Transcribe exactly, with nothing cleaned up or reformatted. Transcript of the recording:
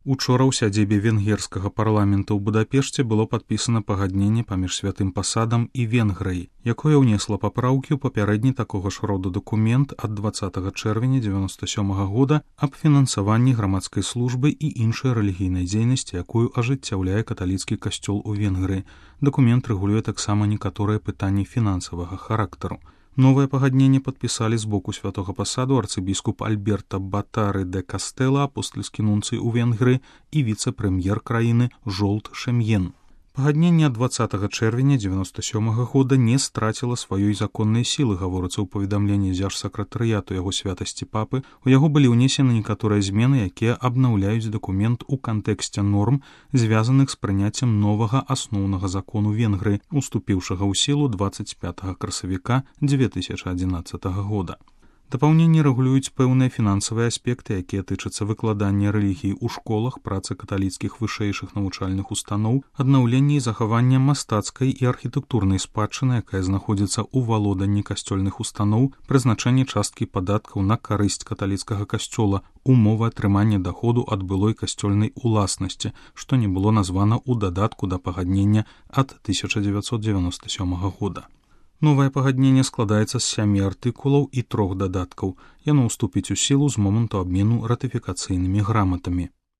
Учора ў сядзібе венгерскага парламента ў Будапешце было падпісана пагадненне паміж святым пасадам і Венгрыяй, якое ўнесла папраўкі ў папярэдні такога ж роду дакумент ад дваццатага чэрвеня дзевяноста сёмага года аб фінансаванні грамадскай службы і іншай рэлігійнай дзейнасці, якую ажыццяўляе каталіцкі касцёл у Венгрыі. Дакумент рэгулюе таксама некаторыя пытанні фінансавага характару. Новае пагадненне падпісалі з боку святога пасаду арцыбіскуп Альберта Батары де Кастэла, апостальскі нунцый у Венгрыі, і віцэ-прэм'ер краіны Жолт Шем'ен. Пагадненне ад дваццатага чэрвеня дзевяноста сёмага года не страціла сваёй законнай сілы, гаворыцца ў паведамленні дзяржсакратарыяту яго святасці папы. У яго былі ўнесены некаторыя змены, якія абнаўляюць дакумент у кантэксце норм, звязаных з прыняццем новага асноўнага закону Венгрыі, уступіўшага ў сілу дваццаць пятага красавіка дзве тысячы адзінаццатага года. Дапаўненні рэгулююць пэўныя фінансавыя аспекты, якія тычацца выкладання рэлігіі ў школах, працы каталіцкіх вышэйшых навучальных устаноў, аднаўлення і захавання мастацкай і архітэктурнай спадчыны, якая знаходзіцца ў валоданні касцёльных устаноў, прызначэнне часткі падаткаў на карысць каталіцкага касцёла, умовы атрымання даходу ад былой касцёльнай уласнасці, што не было названа ў дадатку да пагаднення ад тысяча дзевяцьсот дзевяноста сёмага года. Новае пагадненне складаецца з сямі артыкулаў і трох дадаткаў. Яно ўступіць у сілу з моманту абмену ратыфікацыйнымі граматамі.